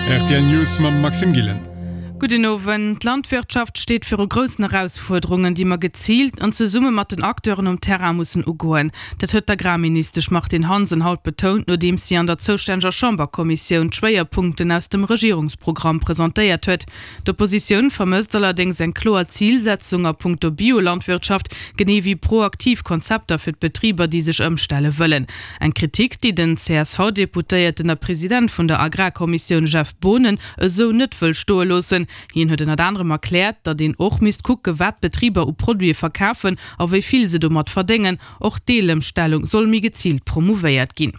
Rtl News mam Maxime Gillen. Gudden Owend. D'Landwirtschaft steet viru groussen Erausfuerderungen, déi mer geziilt an zesumme mat den Acteuren um Terrain mussen ugoen. Dat huet d'Agrarministesch Martine Hansen haut betount, nodeems si an der zoustänneger Chamberkommissioun d'Schwéierpunkten aus dem Regierungsprogramm presentéiert huet. D'Oppositioun vermësst allerdéngs eng kloer Zilsetzung a punkto Biolandwirtschaft, genee wéi proaktiv Konzepter fir d'Betriber, déi sech ëmstelle wëllen. Eng Kritik, déi den CSV-Deputéierten a President vun der Agrarkommissioun Jeff Boonen esou net wëll stoe loossen. Hien huet ënnert anerem erkläert, datt een och misst kucke wat d'Betriber u Produite verkafen a wéi vill se domat verdéngen. Och d'Deelëmstellung soll méi geziilt promouvéiert ginn.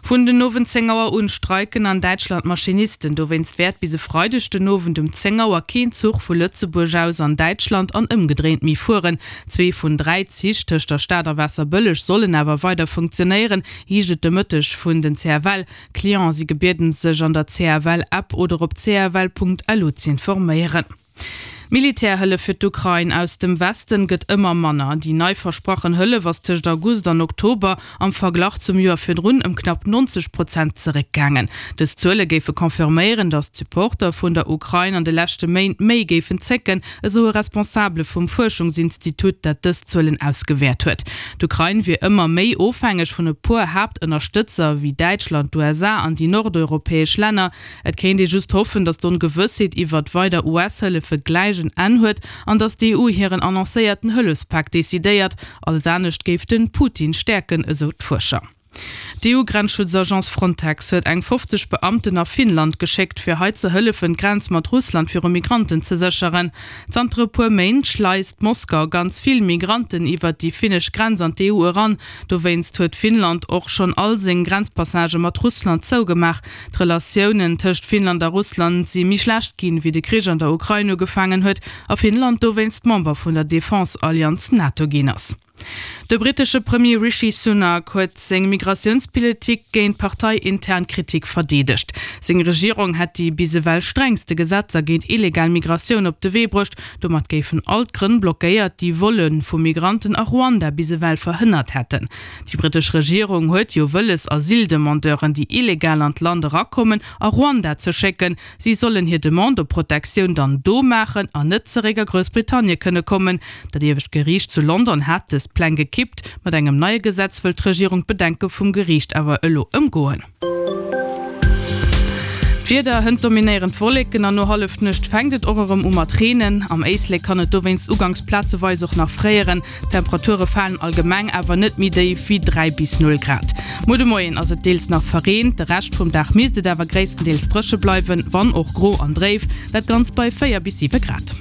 Vun den Owend 10 Auer un streiken an Däitschland d'Maschinisten. Dowéinst wäert bis e Freideg den Owend um 10 Auer keen Zuch vu Lëtzebuerg aus an Däitschland an ëmgedréint méi fueren. Zwee vun 3 Zich tëscht der Stad a Waasserbëlleg sollen awer weider funktionéieren, heescht et de Mëtteg vun den CFL. Clienten si gebieden sech an der CFL-App oder op cfl.lu z'informéieren. D'Militärhëllef fir d'Ukrain aus dem Westen gëtt ëmmer manner. Déi nei versprachen Hëllef ass tëscht August an Oktober am Verglach zum Joer virdrun ëm knapp 90 Prozent zeréckgaangen. Dës Zuele géife confirméieren, datt d'Supporter vun der Ukrain an de leschte Méint méi géifen zécken, esou e Responsabele vum Fuerschungsinstitut, dat dës Zuelen ausgewäert huet. D'Ukrain wier ëmmer méi ofhängeg vun e puer Haaptënnerstëtzer, wéi Däitschland, d'USA an déi nordeuropäesch Länner. Et kéint ee just hoffen, datt d'Ongewëssheet iwwert weider US-Hëllefe gläich en Enn huet an datt d'EU hiren annoncéierten Hëllefspak decidéiert. Alles anescht géif de Putin stäerken, esou d'Fuerscher. D'EU-Grenzschutzagence Frontex huet eng 50 Beamten a Finnland geschéckt, fir hei ze hëllefen, d'Grenz mat Russland viru Migranten ze sécheren. Zanter e puer Méint schleist Moskau ganz vill Migranten iwwert déi finnesch Grenz an d'EU eran. Dowéinst huet Finnland och schonn all seng Grenzpassagë mat Russland zougemaach. D'Relatiounen tëscht Finnland a Russland si méi schlecht ginn, wéi de Krich an der Ukrain ugefaangen huet a Finnland dowéinst Member vun der Defense-Allianz NATO ginn ass. De brittesche Premier Rishi Sunak huet seng Migratiounspolitik géint parteiintern Kritik verdeedegt. Seng Regierung hätt déi bis ewell strengste Gesetzer géint illegal Migratioun op de Wee bruecht. Domat géifen all d'Grënn blockéiert, déi Volle vu Migranten a Ruanda bis ewell verhënnert hätten. Déi brittesch Regierung huet jo wëlles, Asyldemandeuren, déi illegal an d'Land erakommen, a Ruanda ze schécken. Si sollen hir Demande op Protektioun dann do maachen an net zeréck a Groussbritannie kënne kommen. Dat iewescht Geriicht zu London hat dës Pläng gekippt. Mat engem neie Gesetz wëll d'Regierung d'Bedenke vum Geriicht awer elo ëmgoen. D'Wieder, Hënt dominéieren d'Wolleken an no Hallefnuecht fänkt et och erëm u mat reenen. Am Éislek kann et dowéinst uganks plazeweis och nach fréieren. D'Temperature falen allgemeng awer net méi déif wéi 3 bis 0 Grad. Muer de Moien ass et deels nach verreent, de Rescht vum Dag misst et awer gréisstendeels dréche bleiwen, wann och gro an dréif, dat Ganzt bei 4 bis 7 Grad.